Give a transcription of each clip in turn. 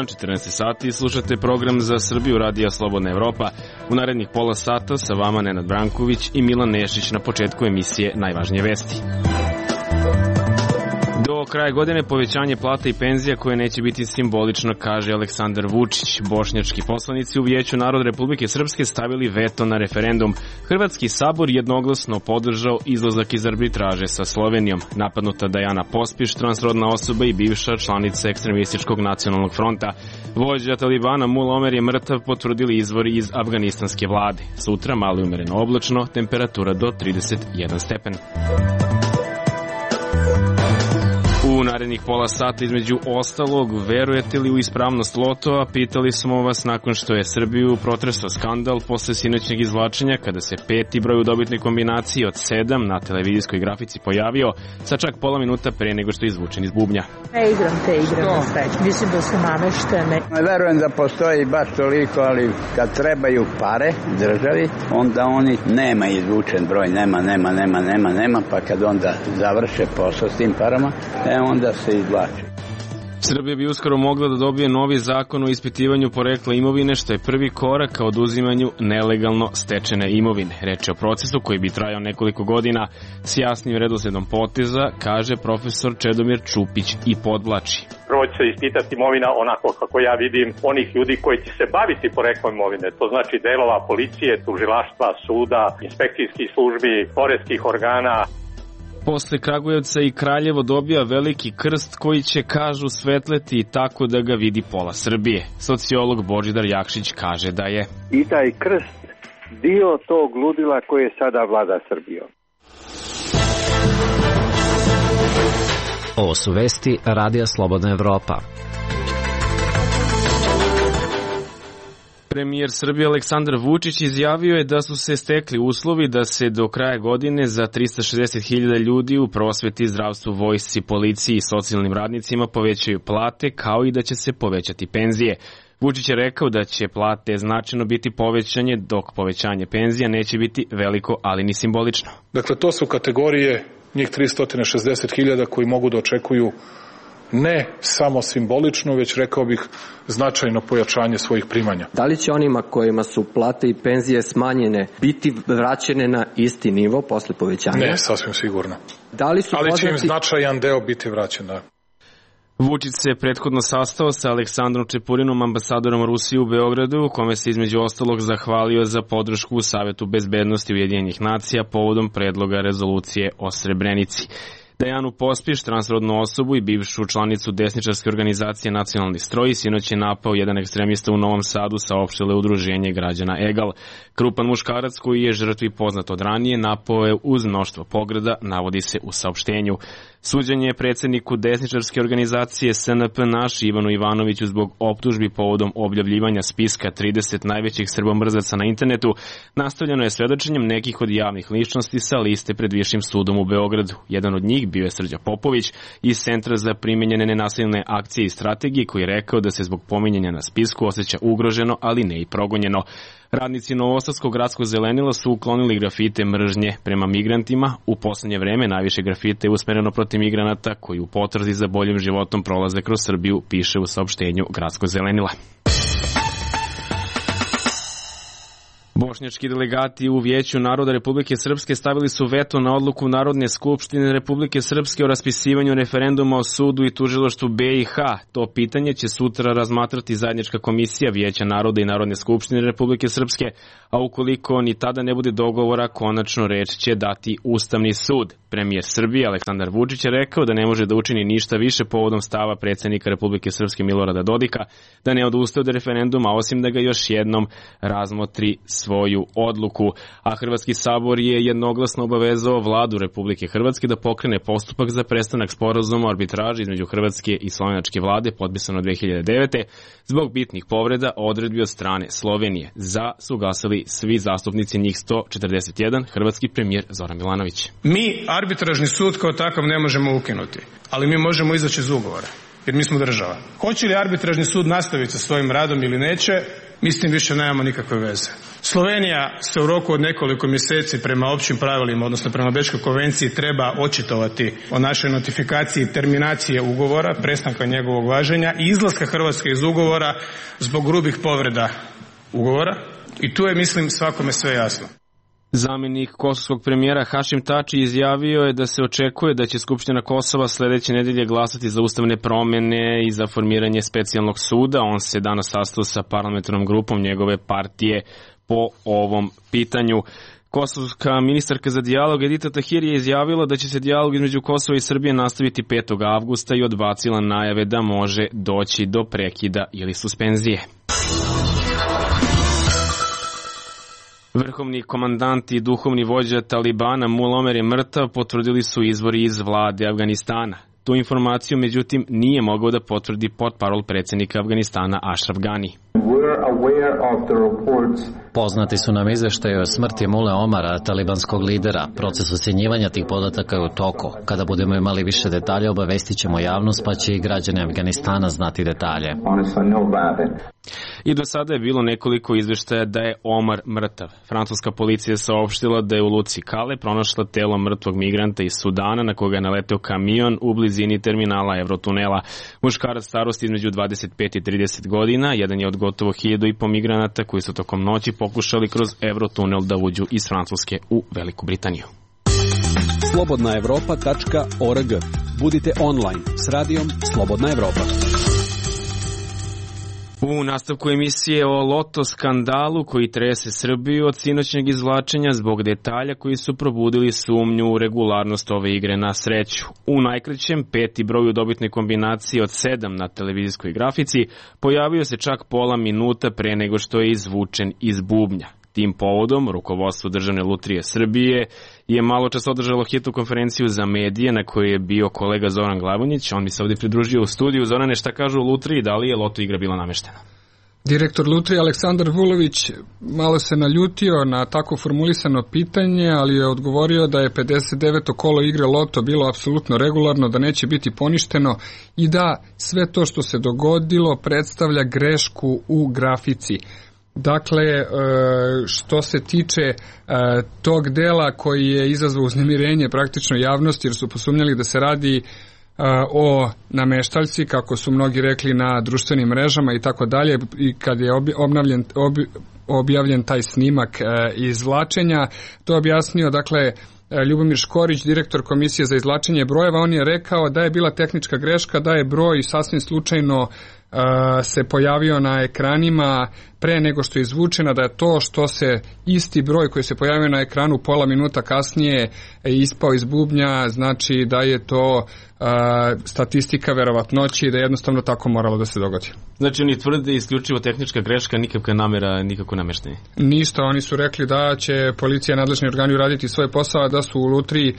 dan, 14 sati, i slušate program Za Srbiju Radija Slobodna Evropa. U narednih pola sata sa vama Nenad Branković i Milan Nešić. Na početku emisije najvažnije vesti. Do kraja godine povećanje plata i penzija koje neće biti simbolično, kaže Aleksandar Vučić. Bošnjački poslanici u Vijeću naroda Republike Srpske stavili veto na referendum. Hrvatski sabor jednoglasno podržao izlazak iz arbitraže sa Slovenijom. Napadnuta Dajana Pospiš, transrodna osoba i bivša članica ekstremističkog nacionalnog fronta. Vođa Talibana Mula Omer je mrtav, potvrdili izvori iz afganistanske vlade. Sutra malo i umereno oblačno, temperatura do 31 stepen. U narednih pola sata, između ostalog, verujete li u ispravnost lotova? Pitali smo vas nakon što je Srbiju protresao skandal posle sinoćnjeg izvlačenja, kada se peti broj u dobitnoj kombinaciji od 7 na televizijskoj grafici pojavio, sa čak pola minuta pre nego što je izvučen iz bubnja. Ne igram te igre na sreću. Mislim da su nameštene. Verujem da postoji baš toliko, ali kad trebaju pare državi, onda oni nema izvučen broj, nema, pa kad onda završe posao s tim parama, onda se izvlači. Srbija bi uskoro mogla da dobije novi zakon o ispitivanju porekla imovine, što je prvi korak ka oduzimanju nelegalno stečene imovine. Reč je o procesu koji bi trajao nekoliko godina s jasnim redosledom poteza, kaže profesor Čedomir Čupić i podvlači. Prvo će se ispitati imovina onako kako ja vidim onih ljudi koji će se baviti poreklom imovine. To znači delova policije, tužilaštva, suda, inspekcijskih službi, poreskih organa. Posle Kragujevca i Kraljevo dobija veliki krst koji će, kažu, svetleti tako da ga vidi pola Srbije. Sociolog Božidar Jakšić kaže da je i taj krst dio tog ludila koje sada vlada Srbijom. Ovo su vesti Radija Slobodna Evropa. Premijer Srbije Aleksandar Vučić izjavio je da su se stekli uslovi da se do kraja godine za 360.000 ljudi u prosveti, zdravstvu, vojsci, policiji i socijalnim radnicima povećaju plate, kao i da će se povećati penzije. Vučić je rekao da će plate značajno biti povećanje, dok povećanje penzija neće biti veliko, ali ni simbolično. Dakle, to su kategorije njih 360.000 koji mogu da očekuju ne samo simbolično, već rekao bih značajno pojačanje svojih primanja. Da li će onima kojima su plate i penzije smanjene biti vraćene na isti nivo posle povećanja? Ne, sasvim sigurno. Ali će im značajan deo biti vraćen, da. Vučić se prethodno sastao sa Aleksandrom Čepurinom, ambasadorom Rusije u Beogradu, u kome se između ostalog zahvalio za podršku u Savetu bezbednosti Ujedinjenih nacija povodom predloga rezolucije o Srebrenici. Dajanu Pospiš, transrodnu osobu i bivšu članicu desničarske organizacije Nacionalni stroj, sinoć je napao jedan ekstremista u Novom Sadu, saopštilo udruženje građana Egal. Krupan muškarac koji je žrtvi poznat od ranije napao je uz mnoštvo pogreda, navodi se u saopštenju. Suđenje je predsjedniku desničarske organizacije SNP Naš Ivanu Ivanoviću zbog optužbi povodom objavljivanja spiska 30 najvećih srbomrzaca na internetu nastavljeno je svedočenjem nekih od javnih ličnosti sa liste pred Višim sudom u Beogradu. Jedan od njih bio je Srđa Popović iz Centra za primenjene nenasilne akcije i strategije, koji je rekao da se zbog pominjanja na spisku osjeća ugroženo, ali ne i progonjeno. Radnici Novosadskog gradskog zelenila su uklonili grafite mržnje prema migrantima. U poslednje vreme najviše grafite je usmereno protiv migranata koji u potrazi za boljim životom prolaze kroz Srbiju, piše u saopštenju gradskog zelenila. Bošnjački delegati u Vijeću naroda Republike Srpske stavili su veto na odluku Narodne skupštine Republike Srpske o raspisivanju referenduma o sudu i tužilaštvu BiH. To pitanje će sutra razmatrati zajednička komisija Vijeća naroda i Narodne skupštine Republike Srpske, a ukoliko ni tada ne bude dogovora, konačno reč će dati Ustavni sud. Premijer Srbije Aleksandar Vučić je rekao da ne može da učini ništa više povodom stava predsjednika Republike Srpske Milorada Dodika da ne odustaje od referenduma, osim da ga još jednom razmotri svoju odluku. A Hrvatski sabor je jednoglasno obavezao vladu Republike Hrvatske da pokrene postupak za prestanak sporazuma o arbitraži između Hrvatske i slovenačke vlade, potpisano 2009. zbog bitnih povreda odredbi od strane Slovenije. Za su glasali svi zastupnici, njih 141, hrvatski premijer Zoran Milanović. Mi arbitražni sud kao takav ne možemo ukinuti, ali mi možemo izaći iz ugovora, jer mi smo država. Hoće li arbitražni sud nastaviti sa svojim radom ili neće, mi s tim više nemamo nikakve veze. Slovenija se u roku od nekoliko mjeseci prema općim pravilima, odnosno prema Bečkoj konvenciji, treba očitovati o našoj notifikaciji terminacije ugovora, prestanka njegovog važenja i izlaska Hrvatske iz ugovora zbog grubih povreda ugovora. I tu je, mislim, svakome sve jasno. Zamjenik kosovskog premijera Hašim Tači izjavio je da se očekuje da će Skupština Kosova sledeće nedelje glasati za ustavne promjene i za formiranje specijalnog suda. On se danas sastao sa parlamentarnom grupom njegove partije po ovom pitanju. Kosovska ministarka za dijalog Edita Tahiri je izjavila da će se dijalog između Kosova i Srbije nastaviti 5. avgusta i odbacila najave da može doći do prekida ili suspenzije. Vrhovni komandant i duhovni vođa Talibana Mullah Omer je mrtav, potvrdili su izvori iz vlade Afganistana. Tu informaciju, međutim, nije mogao da potvrdi portparol predsjednika Afganistana Ashraf Ghani. Poznati su nam izveštaje o smrti Mullah Omara, talibanskog lidera. Proces ocjenjivanja tih podataka je u toku. Kada budemo imali više detalja, obavestit ćemo javnost, pa će i građani Afganistana znati detalje. I do sada je bilo nekoliko izveštaja da je Omar mrtav. Francuska policija je saopštila da je u luci Kale pronašla telo mrtvog migranta iz Sudana na koga je naleteo kamion u blizini terminala Eurotunela. Muškarac starosti između 25 i 30 godina, jedan je od gotovo 1.500 migranata koji su tokom noći pokušali kroz Eurotunel da uđu iz Francuske u Veliku Britaniju. slobodnaevropa.org. Budite online s radijom Slobodna Evropa. U nastavku emisije o loto skandalu koji trese Srbiju od sinoćnjeg izvlačenja zbog detalja koji su probudili sumnju u regularnost ove igre na sreću. U najkraćem 5. broj u dobitnoj kombinaciji od 7 na televizijskoj grafici pojavio se čak pola minuta pre nego što je izvučen iz bubnja. Tim povodom, rukovodstvo Državne lutrije Srbije je malo čas održalo hitnu konferenciju za medije na kojoj je bio kolega Zoran Glavonjić. On mi se ovdje pridružio u studiju. Zorane, šta kažu u lutriji, da li je loto igra bila nameštena? Direktor lutrije Aleksandar Vulović malo se naljutio na tako formulisano pitanje, ali je odgovorio da je 59. kolo igre loto bilo apsolutno regularno, da neće biti poništeno i da sve to što se dogodilo predstavlja grešku u grafici. Dakle, što se tiče tog dela koji je izazvao uznemirenje praktično javnosti, jer su posumnjali da se radi o nameštaljci, kako su mnogi rekli na društvenim mrežama i tako dalje, i kad je objavljen taj snimak izvlačenja, to je objasnio, dakle, Ljubomir Škorić, direktor Komisije za izvlačenje brojeva. On je rekao da je bila tehnička greška, da je broj sasvim slučajno se pojavio na ekranima pre nego što je izvučena, da je to što se isti broj koji se pojavio na ekranu pola minuta kasnije ispao iz bubnja, znači da je to statistika verovatnoći i da je jednostavno tako moralo da se dogodi. Znači oni tvrde isključivo tehnička greška, nikakva namera, nikako nameštenje? Ništa, oni su rekli da će policija i nadležni organi uraditi svoj posao, da su u lutriji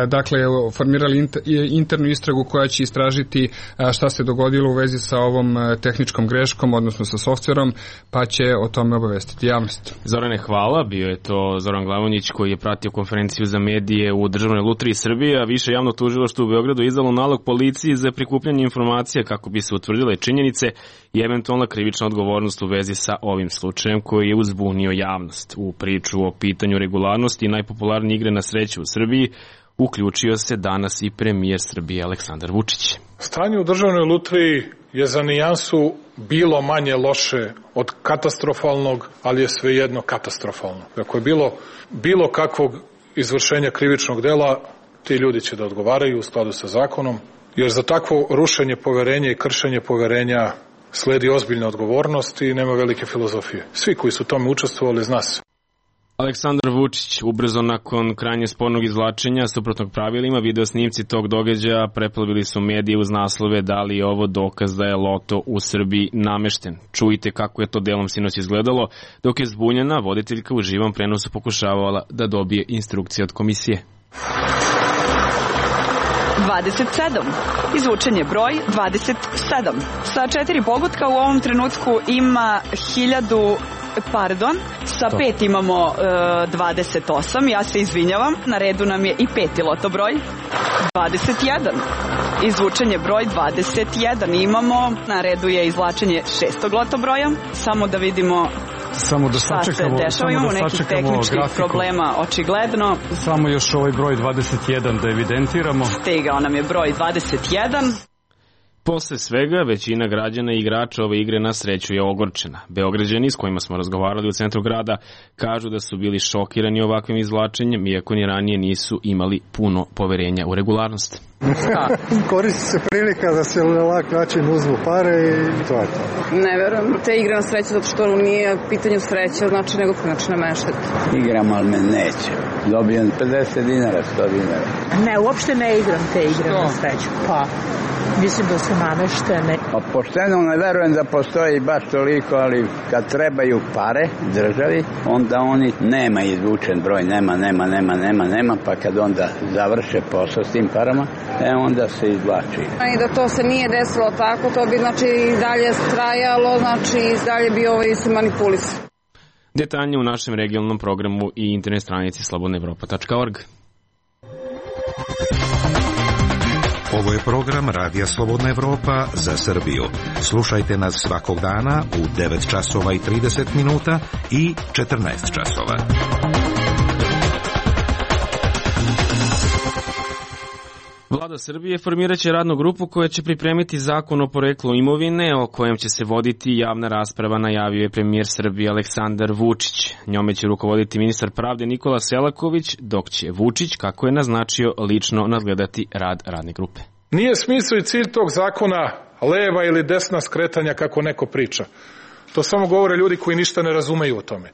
dakle formirali internu istragu koja će istražiti šta se dogodilo u vezi sa ovom tehničkom greškom, odnosno sa softverom, pa će o tome obavestiti javnost. Zorane, hvala. Bio je to Zoran Glavonjić koji je pratio konferenciju za medije u Državnoj lutriji Srbije, a više javno tužilaštvo u Beogradu izdalo nalog policiji za prikupljanje informacija kako bi se utvrdile činjenice i eventualna krivična odgovornost u vezi sa ovim slučajem koji je uzbunio javnost. U priču o pitanju regularnosti i najpopularnije igre na sreću u Srbiji uključio se danas i premijer Srbije Aleksandar Vučić. Stanje u Državnoj lutriji je za nijansu bilo manje loše od katastrofalnog, ali je svejedno katastrofalno. Ako je bilo kakvog izvršenja krivičnog dela, ti ljudi će da odgovaraju u skladu sa zakonom, jer za takvo rušenje poverenja i kršenje poverenja sledi ozbiljna odgovornost i nema velike filozofije. Svi koji su tome učestvovali zna se. Aleksandar Vučić ubrzo nakon krajnje spornog izvlačenja suprotnog pravilima, video snimci tog događaja preplavili su medije uz naslove da li je ovo dokaz da je loto u Srbiji namešten. Čujte kako je to delom sinoć izgledalo, dok je zbunjena voditeljka u živom prenosu pokušavala da dobije instrukcije od komisije. 27. Izvučen je broj 27. Sa 4 pogotka u ovom trenutku ima 1000... Pardon, sa 5 imamo 28, ja se izvinjavam, na redu nam je i 5. loto broj, 21, izvučen je broj 21, imamo, na redu je izvlačenje 6. loto broja, samo da vidimo Samo da sačekamo, imamo nekih tehničkih problema, očigledno. Samo još ovaj broj 21 da evidentiramo. Stigao nam je broj 21. Posle svega, većina građana i igrača ove igre na sreću je ogorčena. Beograđani s kojima smo razgovarali u centru grada kažu da su bili šokirani ovakvim izvlačenjem, iako ni ranije nisu imali puno poverenja u regularnost. Koristi se prilika da se na lak način uzmu pare i to je to. Ne verujem te igre na sreću zato što nije pitanju sreće, znači nego znači nameštati. Igram, ali me neće. Dobijem 50 dinara, 100 dinara. Ne, uopšte ne igram te igre na sreću. Pa, mislim da su nameštene. Pa pošteno ne verujem da postoji baš toliko, ali kad trebaju pare državi, onda oni nema izvučen broj, nema, pa kad onda završe posao s tim parama, onda se izvlači. I da to se nije desilo tako, to bi znači i dalje trajalo, znači i dalje bi se manipulisalo. Detaljnije u našem regionalnom programu i internet stranici slobodnaevropa.org. Ovo je program Radija Slobodna Evropa za Srbiju. Slušajte nas svakog dana u 9 časova i 30 minuta i 14 časova. Vlada Srbije formirat će radnu grupu koja će pripremiti zakon o poreklu imovine o kojem će se voditi javna rasprava, najavio je premijer Srbije Aleksandar Vučić. Njome će rukovoditi ministar pravde Nikola Selaković, dok će Vučić, kako je naznačio, lično nadgledati rad radne grupe. Nije smisao i cilj tog zakona leva ili desna skretanja kako neko priča. To samo govore ljudi koji ništa ne razumeju o tome.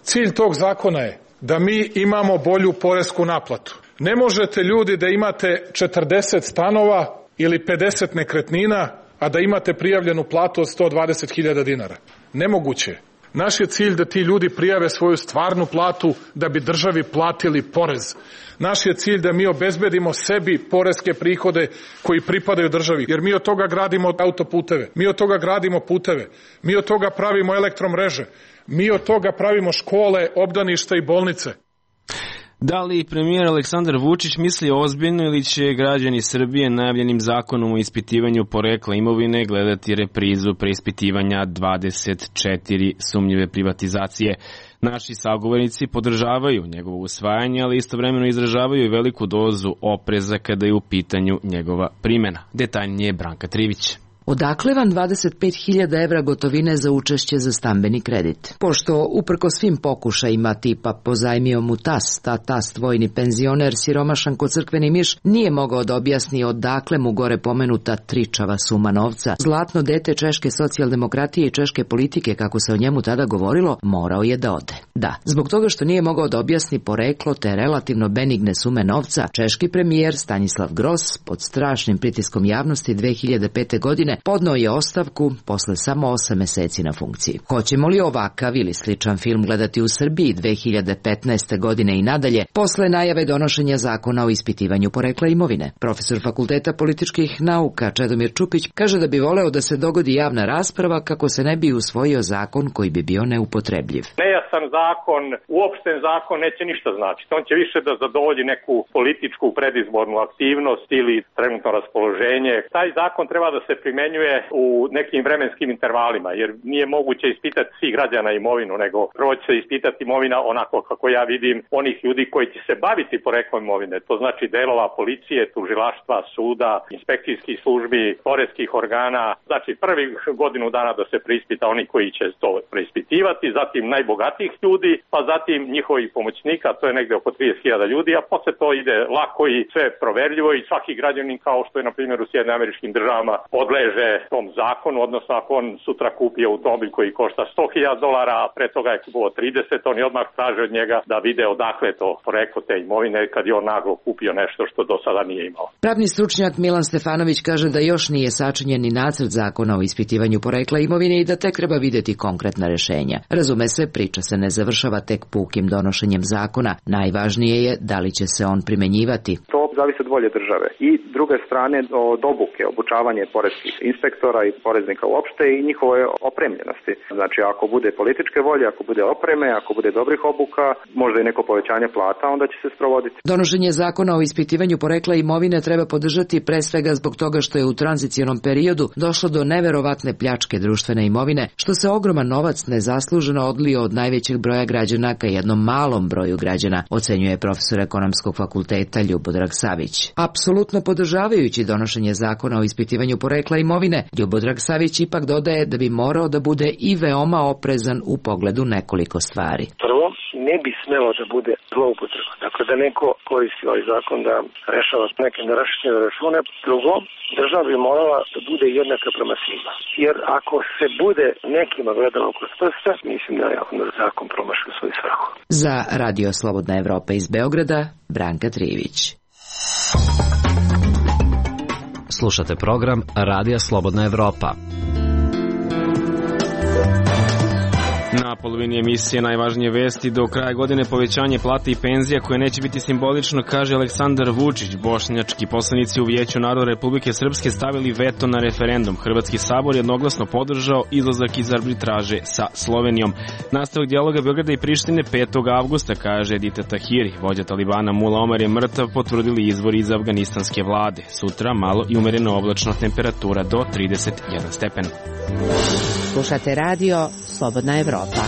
Cilj tog zakona je da mi imamo bolju poresku naplatu. Ne možete ljudi da imate 40 stanova ili 50 nekretnina, a da imate prijavljenu platu od 120.000 dinara. Nemoguće. Naš je cilj da ti ljudi prijave svoju stvarnu platu da bi državi platili porez. Naš je cilj da mi obezbedimo sebi poreske prihode koji pripadaju državi, jer mi od toga gradimo autoputeve, mi od toga gradimo puteve, mi od toga pravimo elektromreže, mi od toga pravimo škole, obdaništa i bolnice. Da li premijer Aleksandar Vučić misli ozbiljno ili će građani Srbije najavljenim zakonom o ispitivanju porekla imovine gledati reprizu preispitivanja 24 sumnjive privatizacije? Naši sagovornici podržavaju njegovo usvajanje, ali istovremeno izražavaju i veliku dozu opreza kada je u pitanju njegova primjena. Detaljnije Branka Trivić. Odakle vam 25.000 evra gotovine za učešće za stambeni kredit? Pošto, uprko svim pokušajima tipa pozajmio mu tast, a tast vojni penzioner siromašan ko crkveni miš nije mogao da objasni odakle mu gore pomenuta tričava suma novca. Zlatno dete češke socijaldemokratije i češke politike, kako se o njemu tada govorilo, morao je da ode. Da, zbog toga što nije mogao da objasni poreklo te relativno benigne sume novca, češki premijer Stanislav Gros pod strašnim pritiskom javnosti 2005. godine podneo je ostavku posle samo 8 meseci na funkciji. Hoćemo li ovakav ili sličan film gledati u Srbiji 2015. godine i nadalje, posle najave donošenja zakona o ispitivanju porekla imovine? Profesor Fakulteta političkih nauka Čedomir Čupić kaže da bi voleo da se dogodi javna rasprava kako se ne bi usvojio zakon koji bi bio neupotrebljiv. Nejasan zakon, uopšten zakon neće ništa značiti. On će više da zadovolji neku političku predizbornu aktivnost ili trenutno raspoloženje. Taj zakon treba da se primenjuje u nekim vremenskim intervalima, jer nije moguće ispitati svih građana imovinu, nego prvo će se ispitati imovina onako kako ja vidim onih ljudi koji će se baviti poreklom imovine. To znači delova policije, tužilaštva, suda, inspekcijskih službi, poreskih organa. Znači prvi godinu dana da se preispita oni koji će to preispitivati, zatim najbogatijih ljudi, pa zatim njihovih pomoćnika, to je negde oko 30.000 ljudi, a posle to ide lako i sve proverljivo i svaki građanin, kao što je na primjer u Sjedinjenim Američkim Državama, podleže tom zakonu, odnosno ako on sutra kupi automobil koji košta $100.000, a pre toga je kupovao 30, oni odmah traže od njega da vide odakle to poreklo te imovine kad je on naglo kupio nešto što do sada nije imao. Pravni stručnjak Milan Stefanović kaže da još nije sačinjen ni nacrt zakona o ispitivanju porekla imovine i da tek treba videti konkretna rešenja. Razume se, priča se ne završava tek pukim donošenjem zakona. Najvažnije je da li će se on primenjivati. To zavisi od volje države. I druge strane od obuke, obučavanje poreskih inspektora i poreznika uopšte i njihove opremljenosti. Znači ako bude političke volje, ako bude opreme, ako bude dobrih obuka, možda i neko povećanje plata, onda će se sprovoditi. Donošenje zakona o ispitivanju porekla imovine treba podržati pre svega zbog toga što je u tranzicionom periodu došlo do neverovatne pljačke društvene imovine, što se ogroman novac nezasluženo odlio od najvećeg broja građana ka jednom malom broju građana, ocenjuje profesor ekonomskog fakulteta Ljubodrag Savić. Apsolutno podržavajući donošenje zakona o ispitivanju porekla imovine, Ljubodrag Savić ipak dodaje da bi morao da bude i veoma oprezan u pogledu nekoliko stvari. Prvo, ne bi smelo da bude zloupotreba. Dakle, da neko koristi ovaj zakon da rešava neke nerašćene račune. Drugo, država bi morala da bude jednaka prema svima. Jer ako se bude nekima gledalo kroz prste, mislim da je zakon promašio svoju svrhu. Za Radio Slobodna Evropa iz Beograda, Branka Trivić. Slušate program Radija Slobodna Evropa. Na polovini emisije najvažnije vesti do kraja godine povećanje plata i penzija koje neće biti simbolično, kaže Aleksandar Vučić. Bošnjački poslanici u Vijeću naroda Republike Srpske stavili veto na referendum. Hrvatski sabor jednoglasno podržao izlazak iz arbitraže sa Slovenijom. Nastavak dijaloga Beograda i Prištine 5. avgusta, kaže Edita Tahiri. Vođa Talibana Mula Omar je mrtav, potvrdili izvori iz afganistanske vlade. Sutra malo i umereno oblačno, temperatura do 31 stepen. Slušate radio Slobodna Evropa.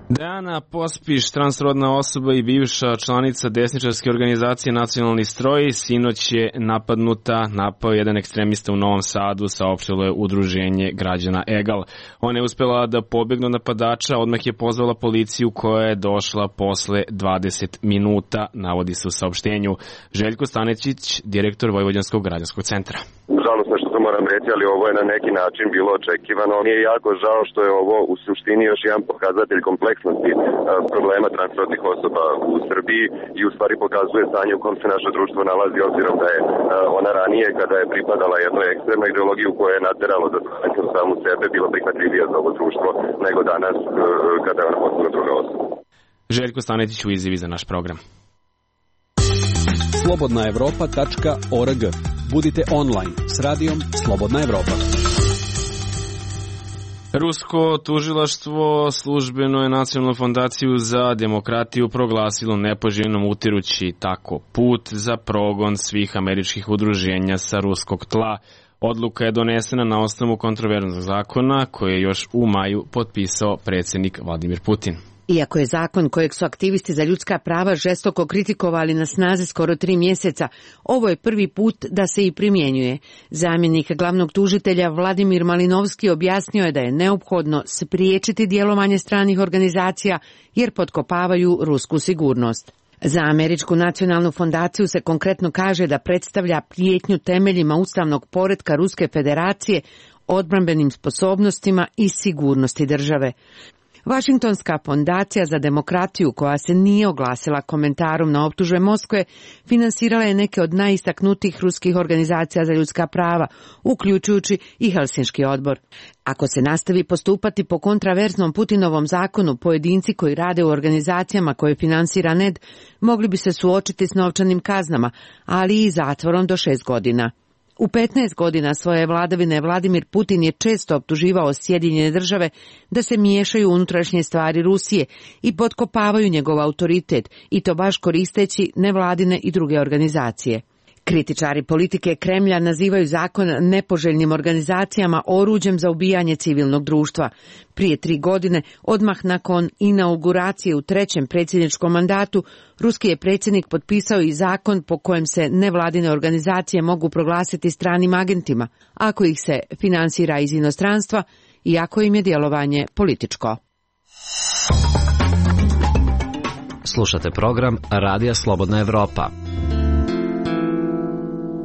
Dejana Pospiš, transrodna osoba i bivša članica desničarske organizacije Nacionalni stroj, sinoć je napao jedan ekstremista u Novom Sadu, saopštilo je udruženje građana Egal. Ona je uspela da pobegne od napadača, odmah je pozvala policiju koja je došla posle 20 minuta, navodi se u saopštenju. Željko Stanečić, direktor Vojvođanskog građanskog centra. Žalostno što to moram reći, ali ovo je na neki način bilo očekivano. Mi je jako žao što je ovo u suštini još jedan pokazatelj kompleksnosti problema transrodnih osoba u Srbiji i u stvari pokazuje stanje u kom se naše društvo nalazi, obzirom da je ona ranije, kada je pripadala jednoj ekstremnoj ideologiji koja je nateralo da samu sebe bilo prihvatljivija za ovo društvo nego danas kada je ona postala druga osoba. Željko Stanetić u izjavi za naš program. slobodnaevropa.org. Budite online s radijom Slobodna Evropa. Rusko tužilaštvo službeno je Nacionalnu fondaciju za demokratiju proglasilo nepoželjnom, utirući tako put za progon svih američkih udruženja sa ruskog tla. Odluka je donesena na osnovu kontroverznog zakona koje je još u maju potpisao predsjednik Vladimir Putin. Iako je zakon kojeg su aktivisti za ljudska prava žestoko kritikovali na snazi skoro 3 mjeseca, ovo je prvi put da se i primjenjuje. Zamjenik glavnog tužitelja Vladimir Malinovski objasnio je da je neophodno spriječiti djelovanje stranih organizacija jer potkopavaju rusku sigurnost. Za Američku nacionalnu fondaciju se konkretno kaže da predstavlja prijetnju temeljima ustavnog poretka Ruske federacije, odbrambenim sposobnostima i sigurnosti države. Vašingtonska fondacija za demokratiju, koja se nije oglasila komentarom na optužbe Moskve, finansirala je neke od najistaknutijih ruskih organizacija za ljudska prava, uključujući i Helsinški odbor. Ako se nastavi postupati po kontraverznom Putinovom zakonu, pojedinci koji rade u organizacijama koje finansira NED mogli bi se suočiti s novčanim kaznama, ali i zatvorom do 6 godina. U 15 godina svoje vladavine Vladimir Putin je često optuživao Sjedinjene države da se miješaju u unutrašnje stvari Rusije i potkopavaju njegov autoritet, i to baš koristeći nevladine i druge organizacije. Kritičari politike Kremlja nazivaju zakon nepoželjnim organizacijama oruđem za ubijanje civilnog društva. Prije 3 godine, odmah nakon inauguracije u 3. predsjedničkom mandatu, ruski je predsjednik potpisao i zakon po kojem se nevladine organizacije mogu proglasiti stranim agentima, ako ih se finansira iz inostranstva i ako im je djelovanje političko. Slušate program Radija Slobodna Evropa.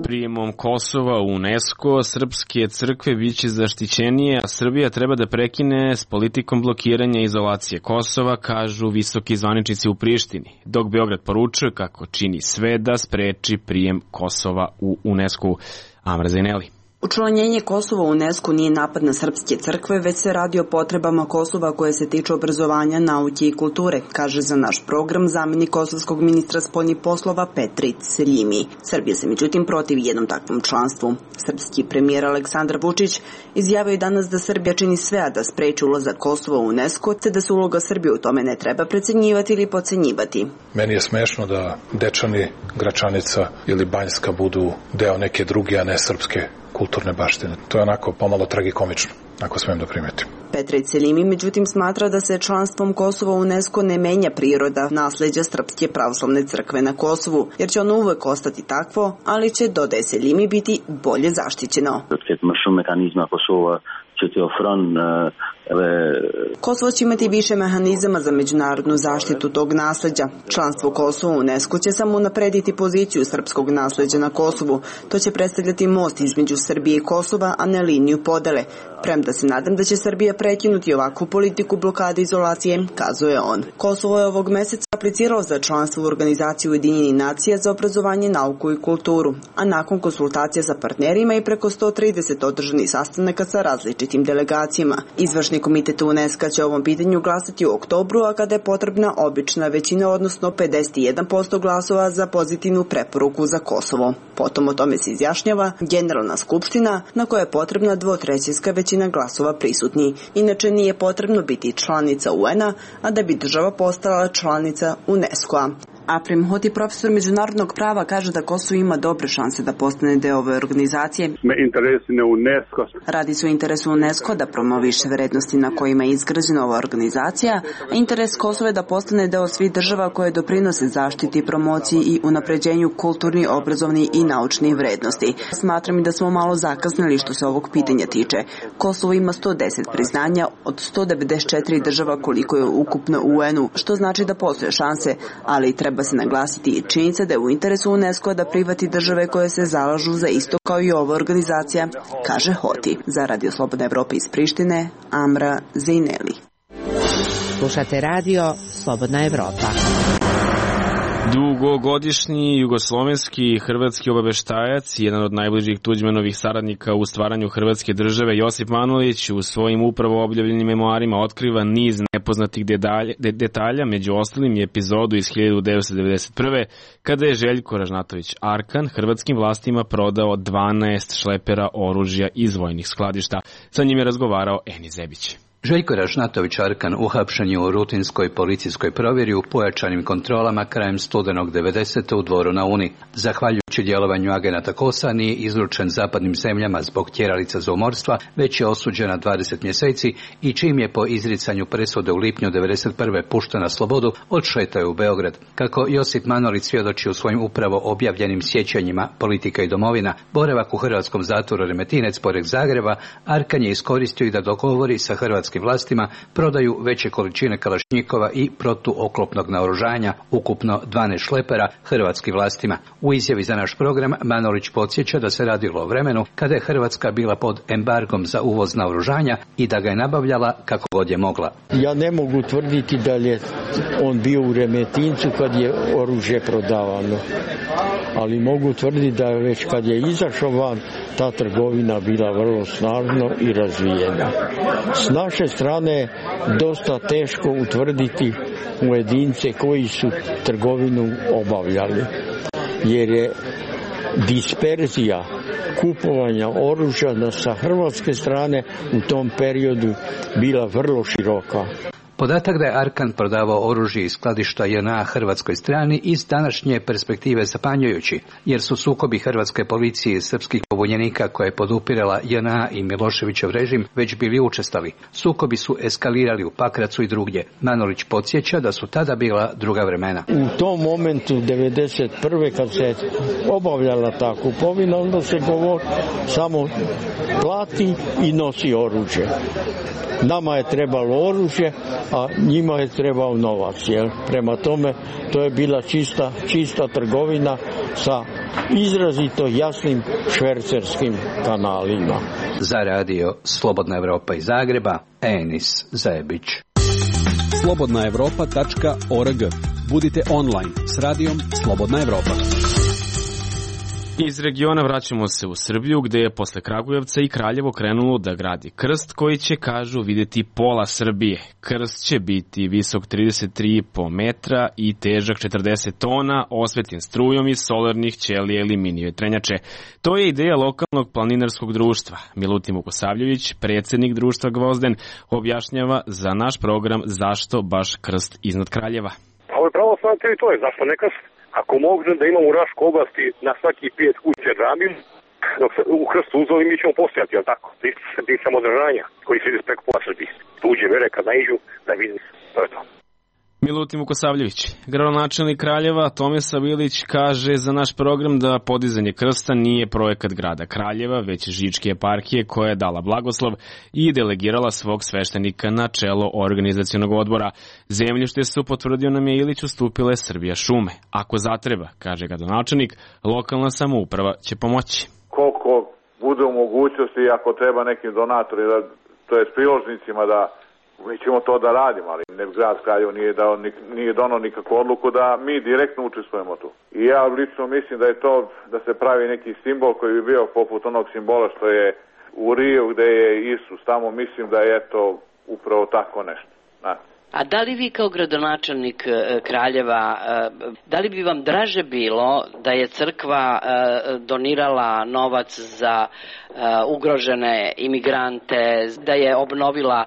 Prijemom Kosova u UNESCO srpske crkve biće zaštićenije, a Srbija treba da prekine s politikom blokiranja i izolacije Kosova, kažu visoki zvaničnici u Prištini, dok Beograd poručuje kako čini sve da spreči prijem Kosova u UNESCO. Amra Zaineli. Učlanjenje Kosova u UNESCO nije napad na srpske crkve, već se radi o potrebama Kosova koje se tiču obrazovanja, nauke i kulture, kaže za naš program zamenik kosovskog ministra spoljnih poslova Petrit Seljimi. Srbija se međutim protivi jednom takvom članstvu. Srpski premijer Aleksandar Vučić izjavio je danas da Srbija čini sve da spreči ulazak Kosova u UNESCO, te da se uloga Srbije u tome ne treba precenjivati ili podcenjivati. Meni je smešno da Dečani, Gračanica ili Banjska budu deo neke druge, a ne srpske kulturne baštine. To je onako pomalo tragikomično, ako smijem da primetim. Petrit Seljimi međutim smatra da se članstvom Kosova u UNESCO ne menja priroda nasleđa Srpske pravoslavne crkve na Kosovu, jer će ono uvek ostati takvo, ali će, dodaje Seljimi, biti bolje zaštićeno. Kosovo će imati više mehanizama za međunarodnu zaštitu tog nasleđa. Članstvo Kosova u UNESCO će samo unaprediti poziciju srpskog nasleđa na Kosovu. To će predstavljati most između Srbije i Kosova, a ne liniju podele. Premda se nadam da će Srbija prekinuti ovakvu politiku blokade izolacije, kazuje on. Kosovo je ovog meseca apliciralo za članstvo u organizaciju Ujedinjenih nacija za obrazovanje, nauku i kulturu, a nakon konsultacija sa partnerima i preko 130 održanih sastanaka sa različitim delegacijama. Izvršni komitet UNESCO će o ovom pitanju glasati u oktobru, a kada je potrebna obična većina, odnosno 51% glasova za pozitivnu preporuku za Kosovo. Potom o tome se izjašnjava Generalna skupština, na kojoj je potrebna 2/3 većina glasova prisutni. Inače nije potrebno biti članica UN-a, a da bi država postala članica UNESCO-a. Aprem Hoti, profesor međunarodnog prava, kaže da Kosovo ima dobre šanse da postane deo ove organizacije. Radi se o interesu UNESCO da promoviše vrednosti na kojima je izgrađena ova organizacija, a interes Kosova je da postane deo svih država koje doprinose zaštiti, promociji i unapređenju kulturnih, obrazovnih i naučnih vrednosti. Smatram i da smo malo zakasnili što se ovog pitanja tiče. Kosovo ima 110 priznanja od 194 država koliko je ukupno u UN-u, što znači da postoje šanse, ali treba se naglasiti i činjenica da je u interesu UNESCO da prihvati države koje se zalažu za isto kao i ova organizacija, kaže Hoti. Za Radio Slobodna Evropa iz Prištine, Amra Zejneli. Slušate radio Slobodna Evropa. Dugogodišnji jugoslovenski i hrvatski obaveštajac, jedan od najbližih Tuđmanovih saradnika u stvaranju Hrvatske države, Josip Manolić, u svojim upravo objavljenim memoarima otkriva niz nepoznatih detalja, među ostalim je epizodu iz 1991. kada je Željko Ražnatović Arkan hrvatskim vlastima prodao 12 šlepera oružja iz vojnih skladišta. Sa njim je razgovarao Eni Zebić. Željko Ražnatović Arkan uhapšen je u rutinskoj policijskoj provjeri u pojačanim kontrolama krajem studenog 90. u Dvoru na Uni. Zahvaljujući djelovanju agenata KOS-a nije izručen zapadnim zemljama zbog tjeralica za umorstva, već je osuđen na 20 mjeseci i čim je po izricanju presude u lipnju 91. pušten na slobodu, odšetao je u Beograd. Kako Josip Manolić svjedoči u svojim upravo objavljenim sjećanjima Politika i domovina, boravak u hrvatskom zatvoru Remetinec pored Zagreba, Arkan je iskoristio i da dogovori sa hrvatskim vlastima prodaju veće količine kalašnjikova i protuoklopnog naoružanja, ukupno 12 šlepera, hrvatskim vlastima. U izjavi za naš program Manolić podsjeća da se radilo o vremenu kada je Hrvatska bila pod embargom za uvoz naoružanja i da ga je nabavljala kako god je mogla. Ja ne mogu tvrditi da je on bio u Remetincu kad je oružje prodavano, ali mogu tvrditi da je već kad je izašao van, ta trgovina bila vrlo snažno i razvijena. S naše strane je dosta teško utvrditi pojedince koji su trgovinu obavljali, jer je disperzija kupovanja oružja sa hrvatske strane u tom periodu bila vrlo široka. Podatak da je Arkan prodavao oružje iz skladišta JNA hrvatskoj strani iz današnje perspektive zapanjujući, jer su sukobi hrvatske policije i srpskih pobunjenika koje je podupirala JNA i Miloševićev režim već bili učestali. Sukobi su eskalirali u Pakracu i drugdje. Manolić podsjeća da su tada bila druga vremena. U tom momentu 91. kad se obavljala ta kupovina, onda se govori samo plati i nosi oružje. Nama je trebalo oružje, a njima je trebao novac. Jel? Prema tome, to je bila čista trgovina sa izrazito jasnim švercerskim kanalima. Za radio Slobodna Evropa iz Zagreba, Enis Zebić. slobodnaevropa.org. Budite online s radijom Slobodna Evropa. Iz regiona vraćamo se u Srbiju, gde je posle Kragujevca i Kraljevo krenulo da gradi krst koji će, kažu, videti pola Srbije. Krst će biti visok 33,5 metra i težak 40 tona, osvetljen strujom iz solarnih ćelija ili mini vetrenjače. To je ideja lokalnog planinarskog društva. Milutin Vukosavljević, predsjednik društva Gvozden, objašnjava za naš program zašto baš krst iznad Kraljeva. Ovo je pravoslavna teritorija, zašto ne krst? Ako može da imamo u Raškoj oblasti na svaki 5 kuće džamiju, dok se u krstu uzeli mi ćemo postojati, jel tako? Ti samodržanja koji se ide preko pola Srbije. Tuđe vere kad naiđu da vidim, to je to. Milutin Vukosavljević, gradonačelnik Kraljeva Tomislav Ilić, kaže za naš program da podizanje krsta nije projekat grada Kraljeva, već Žičke eparhije koja je dala blagoslov i delegirala svog sveštenika na čelo organizacionog odbora. Zemljište su, potvrdio nam je Ilić, ustupile Srbija šume. Ako zatreba, kaže gradonačelnik, lokalna samouprava će pomoći. Koliko bude u mogućnosti, ako treba nekim donatorima, to je s priložnicima da mi ćemo to da radimo, ali grad Kraljevo nije donao nikakvu odluku da mi direktno učestvujemo tu. I ja lično mislim da je to, da se pravi neki simbol koji bi bio poput onog simbola što je u Riju gde je Isus, tamo mislim da je to upravo tako nešto. A da li vi kao gradonačelnik Kraljeva, da li bi vam draže bilo da je crkva donirala novac za ugrožene imigrante, da je obnovila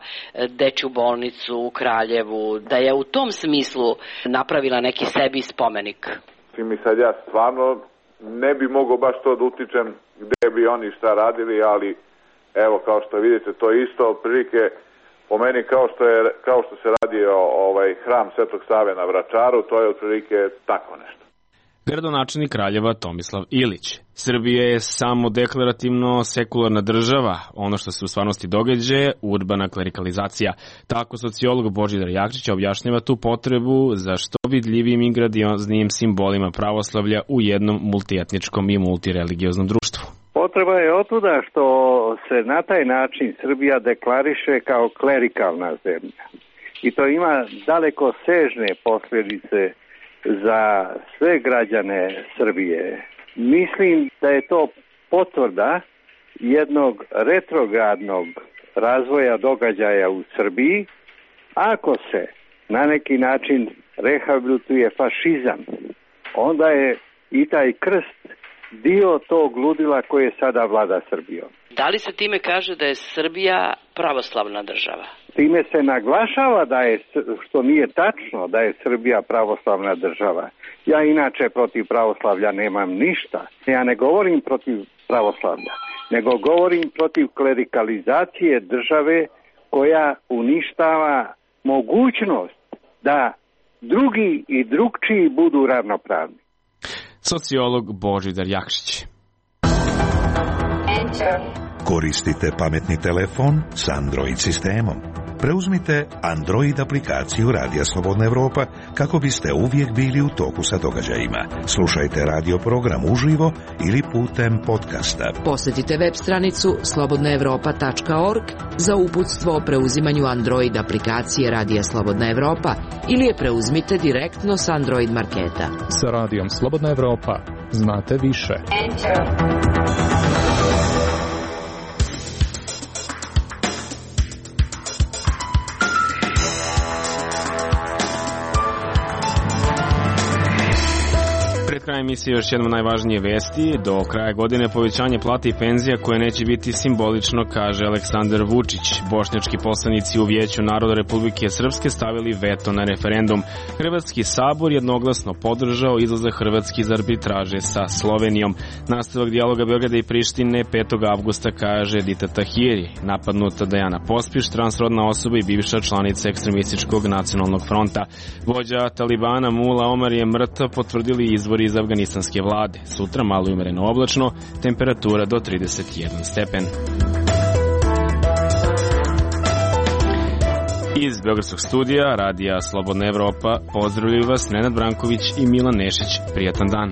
dečju bolnicu u Kraljevu, da je u tom smislu napravila neki sebi spomenik? Mi sad ja stvarno ne bi mogao baš to da utičem gde bi oni šta radili, ali evo kao što vidite to isto prilike po meni kao što se radi hram Svetog Save na Vračaru, to je otprilike tako nešto. Gradonačelnik Kraljeva Tomislav Ilić. Srbija je samo deklarativno sekularna država. Ono što se u stvarnosti događa je urbana klerikalizacija. Tako sociolog Božidar Jakšić objašnjava tu potrebu za što vidljivijim i grandioznim simbolima pravoslavlja u jednom multietničkom i multireligioznom društvu. Potreba je otuda što se na taj način Srbija deklariše kao klerikalna zemlja. I to ima daleko sežne posljedice za sve građane Srbije. Mislim da je to potvrda jednog retrogradnog razvoja događaja u Srbiji. Ako se na neki način rehabilituje fašizam, onda je i taj krst dio tog ludila koje sada vlada Srbijom. Da li se time kaže da je Srbija pravoslavna država? Time se naglašava da je, što nije tačno, da je Srbija pravoslavna država. Ja inače protiv pravoslavlja nemam ništa. Ja ne govorim protiv pravoslavlja, nego govorim protiv klerikalizacije države koja uništava mogućnost da drugi i drugčiji budu ravnopravni. Sociolog Božidar Jakšić. Koristite pametni telefon s Android sistemom. Preuzmite Android aplikaciju Radija Slobodna Evropa kako biste uvijek bili u toku sa događajima. Slušajte radio program uživo ili putem podcasta. Posjetite web stranicu slobodnaevropa.org za uputstvo o preuzimanju Android aplikacije Radija Slobodna Evropa ili je preuzmite direktno s Android marketa. Sa Radijom Slobodna Evropa znate više. Kraj emisije još jednom najvažnije vesti. Do kraja godine povećanje plata i penzija koje neće biti simbolično, kaže Aleksandar Vučić. Bošnjački poslanici u Vijeću naroda Republike Srpske stavili veto na referendum. Hrvatski sabor jednoglasno podržao izlazak Hrvatske iz arbitraže sa Slovenijom. Nastavak dijaloga Beograda i Prištine 5. avgusta, kaže Dita Tahiri. Napadnuta Dejana Pospiš, transrodna osoba i bivša članica ekstremističkog nacionalnog fronta. Vođa Talibana Mula Omar je mrtav, potvrdili izvori iz afganistanske vlade. Sutra malo umereno oblačno, temperatura do 31 stepen. Iz Beogradskog studija Radija Slobodna Evropa pozdravljaju vas Nenad Branković i Milan Nešić. Prijatan dan.